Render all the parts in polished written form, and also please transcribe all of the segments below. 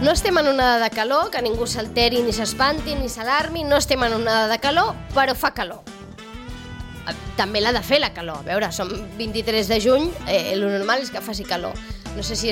No estem en onada de calor, que ningú s'alteri, ni s'espanti, ni s'alarmi, no estem en onada de calor, però fa calor. També l'ha de fer la calor. A veure, som 23 de juny, el normal és que faci calor. No sé si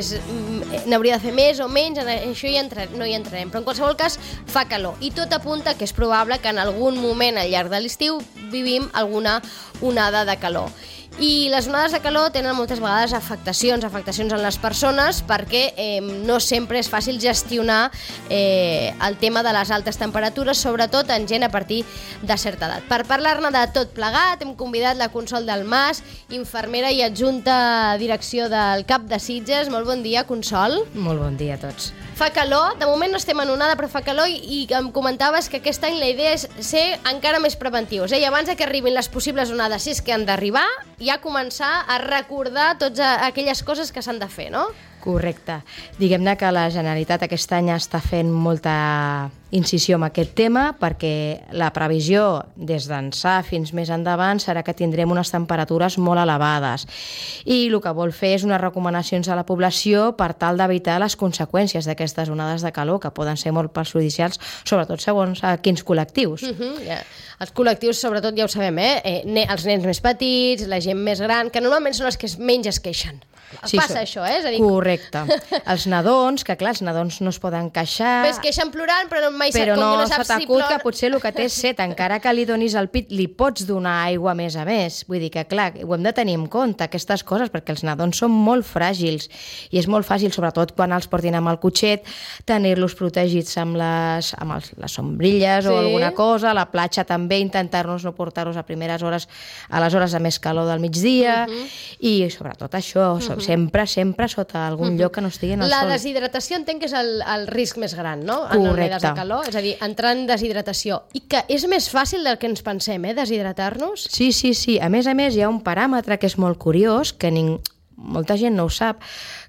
n'hauria de fer més o menys, això no hi entrarem, però en qualsevol cas fa calor. I tot apunta que és probable que en algun moment al llarg de l'estiu vivim alguna onada de calor. I les onades de calor tenen moltes vegades afectacions en les persones perquè no sempre és fàcil gestionar el tema de les altes temperatures, sobretot en gent a partir de certa edat. Per parlar-ne de tot plegat, hem convidat la Consol Dalmàs, infermera i adjunta a direcció del CAP de Sitges. Molt bon dia, Consol. Molt bon dia a tots. Fa calor, de moment no estem en onada, però fa calor i em comentaves que aquest any la idea és ser encara més preventius. I abans que arribin les possibles onades, si és que han d'arribar, ja començar a recordar totes aquelles coses que s'han de fer, no? Correcte. Diguem-ne que la Generalitat aquest any està fent molta incisió en aquest tema perquè la previsió des d'ençà fins més endavant serà que tindrem unes temperatures molt elevades i el que vol fer és unes recomanacions a la població per tal d'evitar les conseqüències d'aquestes onades de calor que poden ser molt perjudicials, sobretot segons a quins col·lectius. Els col·lectius, sobretot, ja ho sabem, els nens més petits, la gent més gran, que normalment són els que menys es queixen. Passa això, és a dir... Correcte. Els nadons, que clar, els nadons no es poden queixar... Es queixen plorant, però mai però com no no saps si t'acut plora... que potser el que té és set, encara que li donis el pit, li pots donar aigua a més. Vull dir que, clar, ho hem de tenir en compte, aquestes coses, perquè els nadons són molt fràgils i és molt fàcil, sobretot quan els portin amb el cotxet, tenir-los protegits amb les sombrilles o alguna cosa, a la platja també, intentar-nos no portar-los a primeres hores, a les hores de més calor del migdia, i sobretot això, sempre sota algun lloc que no estigui en el sol. La deshidratació entenc que és el risc més gran, no? Correcte. En onades de calor, és a dir, entrar en deshidratació. I que és més fàcil del que ens pensem, deshidratar-nos? Sí. A més, hi ha un paràmetre que és molt curiós, que molta gent no ho sap,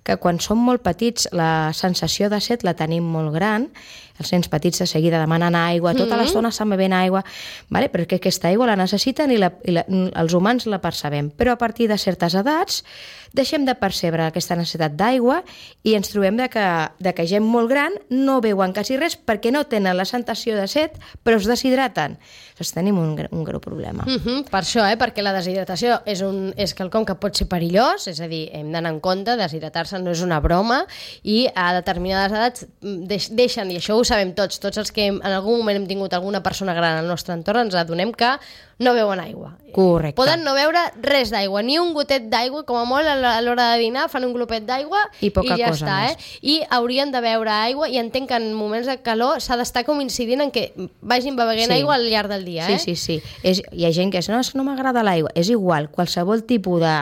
que quan som molt petits la sensació de set la tenim molt gran, els nens petits de seguida demanen aigua, tota l'estona estan bevent aigua, perquè aquesta aigua la necessiten i els humans la percebem, però a partir de certes edats deixem de percebre aquesta necessitat d'aigua i ens trobem que gent molt gran no beuen quasi res perquè no tenen la sensació de set, però es deshidraten. Llavors tenim un greu problema. Per això, perquè la deshidratació és quelcom que pot ser perillós, és a dir, hem d'anar en compte, deshidratar-se no és una broma, i a determinades edats deixen, i això ho sabem tots els que en algun moment hem tingut alguna persona gran al nostre entorn, ens adonem que no beuen aigua. Correcte. Poden no beure res d'aigua, ni un gotet d'aigua, com a molt a l'hora de dinar fan un glopet d'aigua i ja està. I haurien de beure aigua, i entenc que en moments de calor s'ha d'estar com incidint en que vagin beguent aigua al llarg del dia. Sí. Hi ha gent que diu, no m'agrada l'aigua. És igual, qualsevol tipus de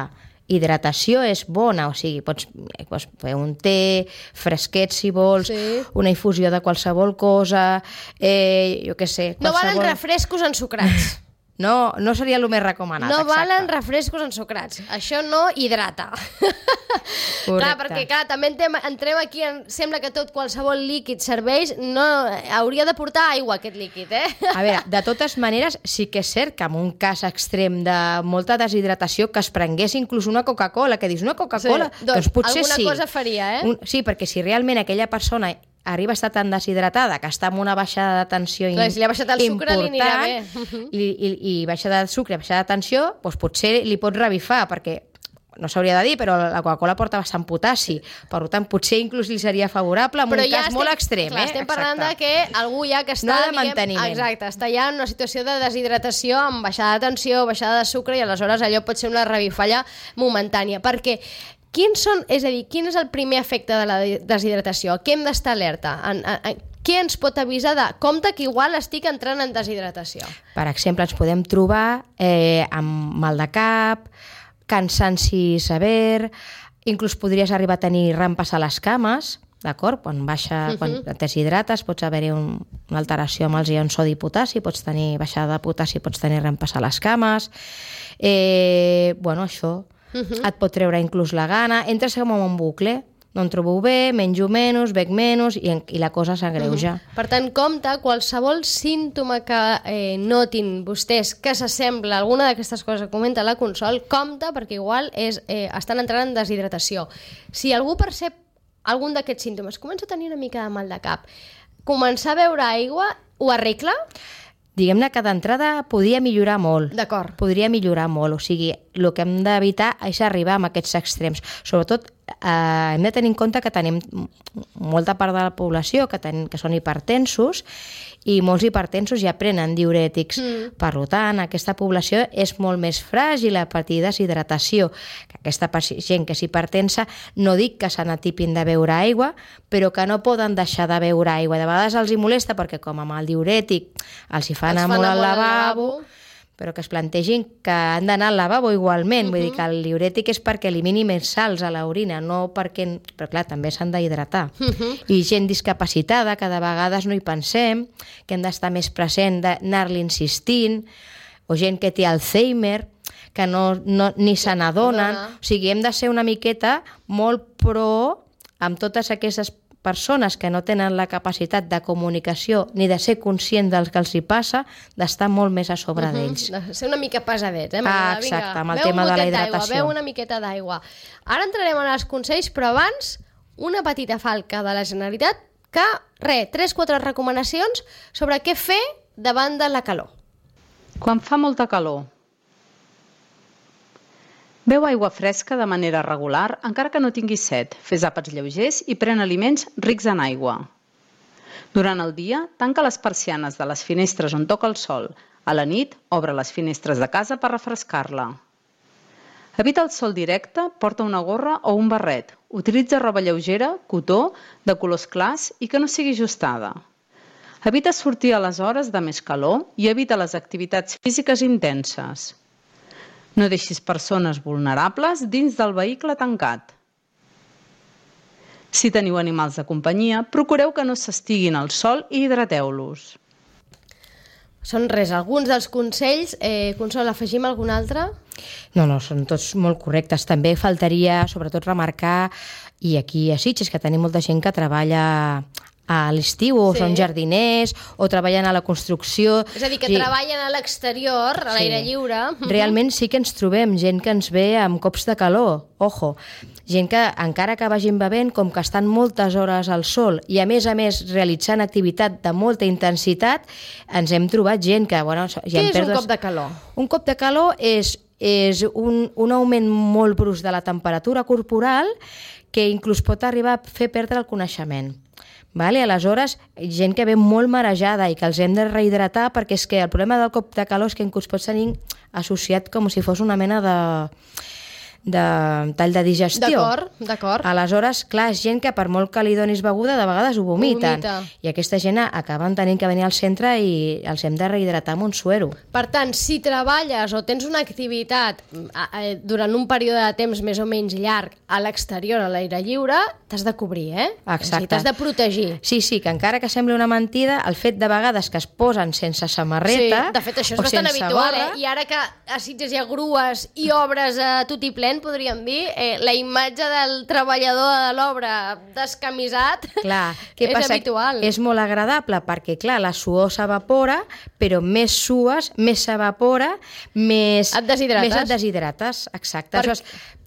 hidratació és bona, o sigui, pots fer un té fresquet si vols, una infusió de qualsevol cosa, jo què sé... No valen refrescos ensucrats. No seria el més recomanat. No valen refrescos ensucrats. Això no hidrata. Clar, perquè també entrem aquí, sembla que qualsevol líquid serveix, no, hauria de portar aigua aquest líquid, A veure, de totes maneres, sí que és cert que en un cas extrem de molta deshidratació que es prengués inclús una Coca-Cola, que dius una Coca-Cola, doncs potser sí. Alguna cosa faria, Sí, perquè si realment aquella persona arriba a estar tan deshidratada que està amb una baixada de tensió important, si li ha baixat el sucre li anirà bé. I baixada de sucre, baixada de tensió, doncs potser li pot revifar, perquè no s'hauria de dir, però la Coca-Cola porta bastant potassi, per tant potser inclús li seria favorable en un cas molt extrem. Clar, estem parlant de que algú ja que està... No de manteniment. Exacte, està ja en una situació de deshidratació amb baixada de tensió, baixada de sucre, i aleshores allò pot ser una revifalla momentània, perquè quin és el primer efecte de la deshidratació? Què hem d'estar alerta? Què ens pot avisar de compte que igual estic entrant en deshidratació? Per exemple, ens podem trobar amb mal de cap, cansanci sever, inclús podries arribar a tenir rampes a les cames, d'acord? Quan deshidrates pots haver-hi una alteració amb els ions sodi i potassi, pots tenir baixada de potassi, pots tenir rampes a les cames, això... Et pot treure inclús la gana, entres com en un bucle, no em trobo bé, menjo menys, bec menys, i la cosa s'agreuja. Per tant, compte, qualsevol símptoma que notin vostès que s'assembla a alguna d'aquestes coses que comenta la Consol, compte, perquè igual estan entrant en deshidratació. Si algú percep algun d'aquests símptomes, començo a tenir una mica de mal de cap, començar a beure aigua ho arregla? Diguem-ne que d'entrada podria millorar molt. D'acord. Podria millorar molt, o sigui, el que hem d'evitar és arribar a aquests extrems. Sobretot, hem de tenir en compte que tenim molta part de la població que són hipertensos i molts hipertensos ja prenen diürètics. Per tant, aquesta població és molt més fràgil a patir deshidratació. Aquesta gent que és hipertensa, no dic que se n'atipin de beure aigua, però que no poden deixar de beure aigua. De vegades els hi molesta perquè com amb el diürètic els hi fa anar molt al lavabo, però que es plantegin que han d'anar al lavabo igualment. Vull dir que el diürètic és perquè elimini més sals a l'orina, no perquè... Però clar, també s'han d'hidratar. I gent discapacitada, que de vegades no hi pensem, que hem d'estar més present d'anar-li insistint, o gent que té Alzheimer, que ni se n'adonen. O sigui, hem de ser una miqueta molt pro amb totes aquestes persones que no tenen la capacitat de comunicació ni de ser conscient del que els hi passa, d'estar molt més a sobre d'ells. De ser una mica pesadets, Exacte, amb el tema de la hidratació. Beu una miqueta d'aigua. Ara entrarem en els consells, però abans una petita falca de la Generalitat que, 3-4 recomanacions sobre què fer davant de la calor. Quan fa molta calor, beu aigua fresca de manera regular, encara que no tinguis set. Fes àpats lleugers i pren aliments rics en aigua. Durant el dia, tanca les persianes de les finestres on toca el sol. A la nit, obre les finestres de casa per refrescar-la. Evita el sol directe, porta una gorra o un barret. Utilitza roba lleugera, cotó, de colors clars i que no sigui ajustada. Evita sortir a les hores de més calor i evita les activitats físiques intenses. No deixis persones vulnerables dins del vehicle tancat. Si teniu animals de companyia, procureu que no s'estiguin al sol i hidrateu-los. Són alguns dels consells. Consol, afegim algun altre? No, són tots molt correctes. També faltaria, sobretot, remarcar, i aquí a Sitges, que tenim molta gent que treballa a l'estiu, o són jardiners, o treballen a la construcció. És a dir, que treballen a l'exterior, a l'aire lliure. Realment sí que ens trobem gent que ens ve amb cops de calor, ojo. Gent que, encara que vagin bevent, com que estan moltes hores al sol i a més realitzant activitat de molta intensitat, ens hem trobat gent que... Què és un cop de calor? Un cop de calor és un augment molt brusc de la temperatura corporal que inclús pot arribar a fer perdre el coneixement. Aleshores, gent que ve molt marejada i que els hem de rehidratar, perquè és que el problema del cop de calor és que inclús pot tenir associat com si fos una mena de tall de digestió. D'acord. Aleshores, clar, és gent que per molt que li donis beguda, de vegades ho vomiten. I aquesta gent acaben tenint que venir al centre i els hem de rehidratar amb un suero. Per tant, si treballes o tens una activitat durant un període de temps més o menys llarg a l'exterior, a l'aire lliure, t'has de cobrir, Exacte. T'has de protegir. Sí, que encara que sembli una mentida, el fet de vegades que es posen sense samarreta... Sí, de fet, això és bastant habitual, I ara que a Sitges hi ha grues i obres a tot i ple, podríem dir, la imatge del treballador de l'obra descamisat és habitual. És molt agradable perquè, clar, la suor s'evapora, però més sues, més s'evapora, més et deshidrates. Exacte.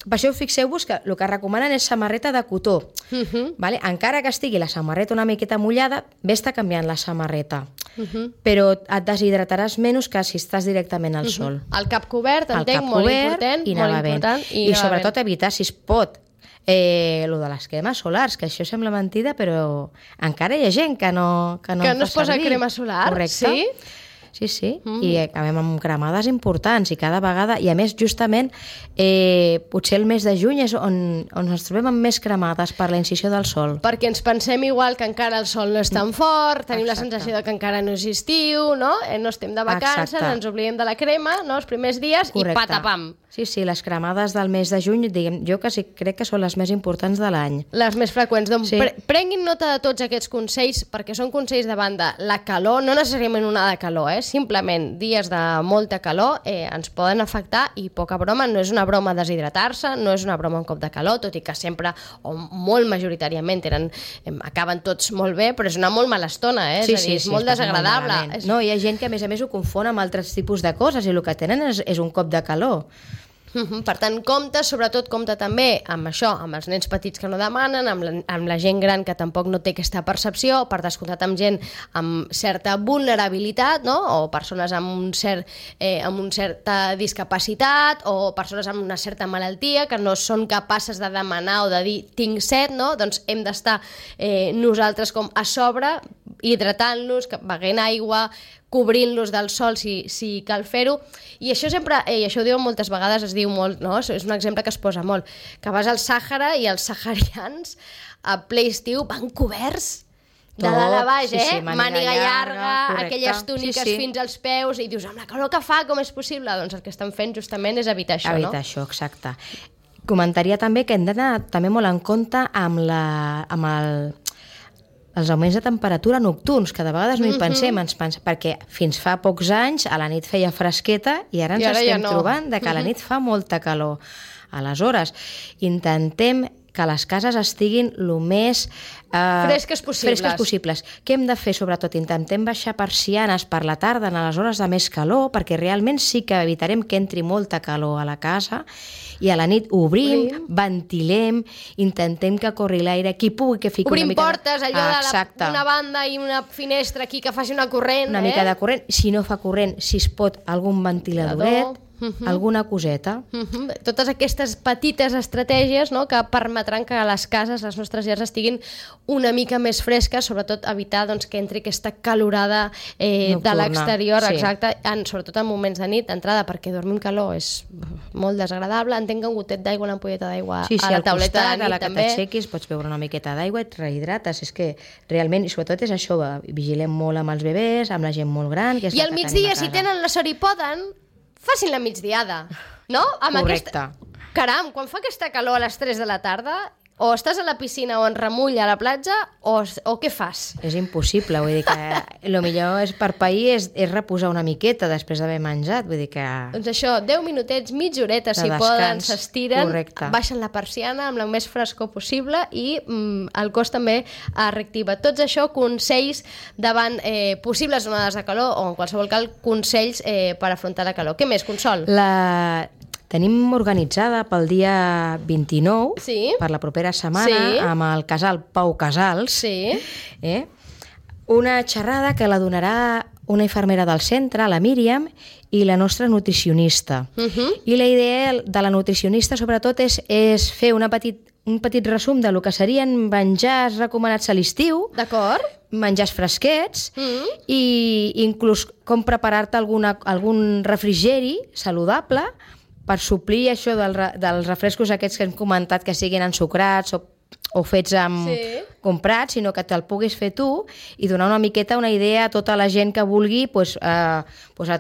Per això fixeu-vos que el que recomanen és samarreta de cotó. Encara que estigui la samarreta una miqueta mullada, ves-te canviant la samarreta. Però et deshidrataràs menys que si estàs directament al sol. El cap cobert, entenc, molt important. I sobretot evitar, si es pot, lo de les cremes solars, que això sembla mentida, però encara hi ha gent que no es posa crema solar. Correcte. Sí. I acabem amb cremades importants i cada vegada, i a més justament potser el mes de juny és on ens trobem amb més cremades per la incisió del sol. Perquè ens pensem igual que encara el sol no és tan fort, tenim la sensació de que encara no és estiu, no estem de vacances, ens oblidem de la crema, els primers dies. Correcte. I patapam. Sí, les cremades del mes de juny, jo que sí crec que són les més importants de l'any. Les més freqüents. Doncs prenguin nota de tots aquests consells, perquè són consells davant de la calor, no necessàriament una de calor, simplement dies de molta calor ens poden afectar, i poca broma, no és una broma deshidratar-se, no és una broma un cop de calor, tot i que sempre, o molt majoritàriament, acaben tots molt bé, però és una molt mala estona, és a dir, és molt desagradable. No, hi ha gent que a més ho confon amb altres tipus de coses, i el que tenen és un cop de calor. Per tant, sobretot compta també amb això, amb els nens petits que no demanen, amb la gent gran que tampoc no té aquesta percepció, per descomptat amb gent amb certa vulnerabilitat, no? O persones amb una certa discapacitat o persones amb una certa malaltia que no són capaces de demanar o de dir tinc set, no? Doncs hem d'estar nosaltres com a sobre, hidratant-los, beguent aigua, cobrint-los del sol si cal fer-ho, i això sempre, i això ho diuen moltes vegades, es diu molt, no? És un exemple que es posa molt, que vas al Sàhara i els saharians a ple estiu van coberts de dalt a baix, sí, màniga llarga, correcte. aquelles túniques fins als peus, i dius, amb la calor que fa, com és possible? Doncs el que estan fent justament és evitar això, no? Evitar això, exacte. Comentaria també que hem d'anar també molt en compte amb els augments de temperatura nocturns, que de vegades no hi pensem, perquè fins fa pocs anys a la nit feia fresqueta i ara ens estem trobant que a la nit fa molta calor. Aleshores, intentem que les cases estiguin el més fresques possibles. Què hem de fer? Sobretot, intentem baixar persianes per la tarda en les hores de més calor, perquè realment sí que evitarem que entri molta calor a la casa, i a la nit obrim, ventilem, intentem que corri l'aire, qui pugui que fiqui obrim una mica... Obrim portes, allò d'una banda i una finestra aquí que faci una corrent. Una mica de corrent, si no fa corrent, si es pot, algun ventiladoret, alguna coseta. Totes aquestes petites estratègies, no?, que permetran que les cases, les nostres llars, estiguin una mica més fresques, sobretot evitar que entri aquesta calorada de l'exterior, exacte, sobretot en moments de nit, d'entrada, perquè dormir amb calor és molt desagradable. Entenc que un gotet d'aigua, una ampolleta d'aigua a la tauleta de nit, també. Sí, a la que t'aixequis pots beure una miqueta d'aigua i et rehidrates. És que realment, i sobretot és això, vigilem molt amb els bebès, amb la gent molt gran... I al migdia, si tenen la sort i poden, facin la migdiada, no? Correcte. Caram, quan fa aquesta calor a les 3 de la tarda, o estàs a la piscina o en remull a la platja, o què fas? És impossible, vull dir que el millor és per pair és reposar una miqueta després d'haver menjat, vull dir que... Doncs això, 10 minutets, mitja horeta, si poden, s'estiren, baixen la persiana amb la més frescor possible i el cos també es reactiva. Tots això, consells davant possibles onades de calor o en qualsevol cas consells per afrontar la calor. Què més, Consol? Tenim organitzada pel dia 29, per la propera setmana, amb el casal Pau Casals, una xerrada que la donarà una infermera del centre, la Míriam, i la nostra nutricionista. I la idea de la nutricionista, sobretot, és fer un petit resum del que serien menjars recomanats a l'estiu, menjars fresquets, i inclús com preparar-te algun refrigeri saludable per suplir això dels refrescos aquests que hem comentat, que siguin ensucrats o fets comprats, sinó que te'l puguis fer tu i donar una miqueta una idea a tota la gent que vulgui a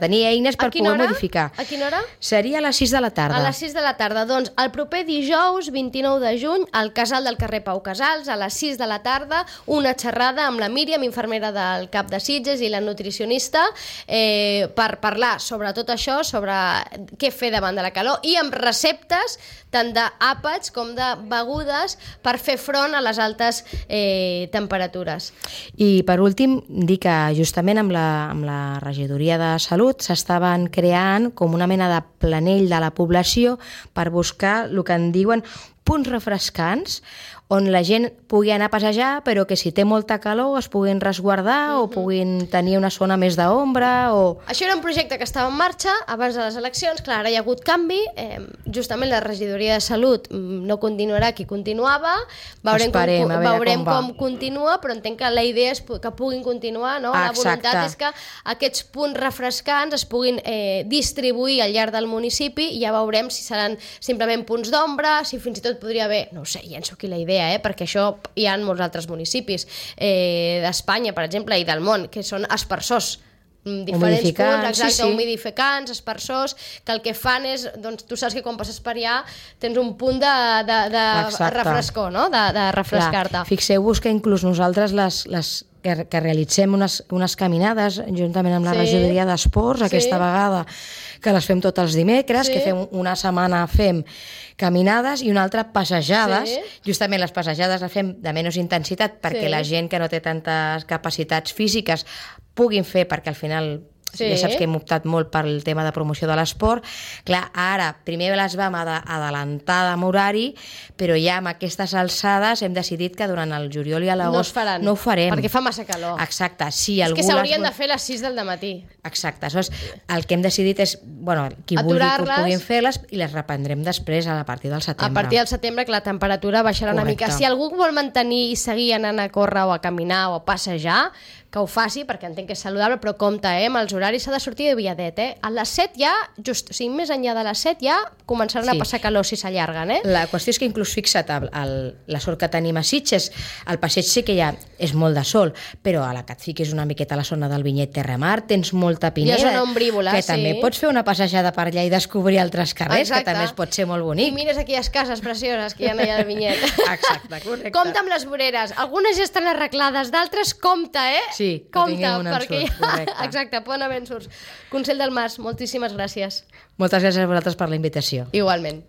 tenir eines per poder modificar. A quina hora? Seria a les 6 de la tarda. A les 6 de la tarda. Doncs el proper dijous, 29 de juny, al casal del carrer Pau Casals, a les 6 de la tarda, una xerrada amb la Míriam, infermera del CAP de Sitges, i la nutricionista, per parlar sobre tot això, sobre què fer davant de la calor, i amb receptes tant d'àpats com de begudes per fer front a les altes temperatures. I per últim, dir que justament amb la regidoria de Salut s'estaven creant com una mena de planell de la població per buscar el que en diuen punts refrescants, on la gent pugui anar a passejar, però que si té molta calor es puguin resguardar o puguin tenir una zona més d'ombra. Això era un projecte que estava en marxa abans de les eleccions. Clar, ara hi ha hagut canvi. Justament la regidoria de Salut no continuarà qui continuava. Veurem com continua, però entenc que la idea és que puguin continuar, no? La voluntat és que aquests punts refrescants es puguin distribuir al llarg del municipi, i ja veurem si seran simplement punts d'ombra, si fins i tot podria haver, no ho sé, llenço aquí la idea, perquè això hi ha en molts altres municipis d'Espanya, per exemple, i del món, que són aspersors, diferents punts, humidificants, aspersors, que el que fan és, doncs tu saps que quan passes per allà tens un punt de refrescor, no? De refrescar-te. Fixeu-vos que inclús nosaltres que realitzem unes caminades juntament amb la regidoria d'esports, aquesta vegada que les fem tots els dimecres, que fem una setmana caminades i una altra passejades. Justament les passejades les fem de menys intensitat perquè la gent que no té tantes capacitats físiques puguin fer, perquè al final Sí. Ja saps que hem optat molt pel tema de promoció de l'esport. Clar, ara, primer les vam adelantar amb horari, però ja amb aquestes alçades hem decidit que durant el juliol i a l'agost no ho farem. Perquè fa massa calor. Exacte. Si és algú que s'haurien de fer a les 6 del matí. Exacte. Aleshores, el que hem decidit és, bueno, qui vulgui que ho puguin fer-les i les reprendrem després a partir del setembre. A partir del setembre, que la temperatura baixarà una mica. Si algú vol mantenir i seguir anant a córrer o a caminar o a passejar, que ho faci, perquè entenc que és saludable, però compte, amb els horaris s'ha de sortir de viadet, A les 7 ja, o sigui, més enllà de les 7 ja començaran a passar calor si s'allarguen, La qüestió és que inclús fixa't, la sort que tenim a Sitges, el passeig sí que ja és molt de sol, però a la que et fiquis una miqueta a la zona del Vinyet Terramar tens molta pineda, ja és una ombrívola, que també pots fer una passejada per allà i descobrir altres carrers, que també es pot ser molt bonic. I mires aquelles cases precioses que hi ha allà al Vinyet. Exacte, correcte. Compte amb les voreres. Algunes ja estan arreglades, d'altres compte, Sí, compte, que tinguem un ensurt, correcte. Exacte, poden haver ensurts. Consell del Mas, moltíssimes gràcies. Moltes gràcies a vosaltres per la invitació. Igualment.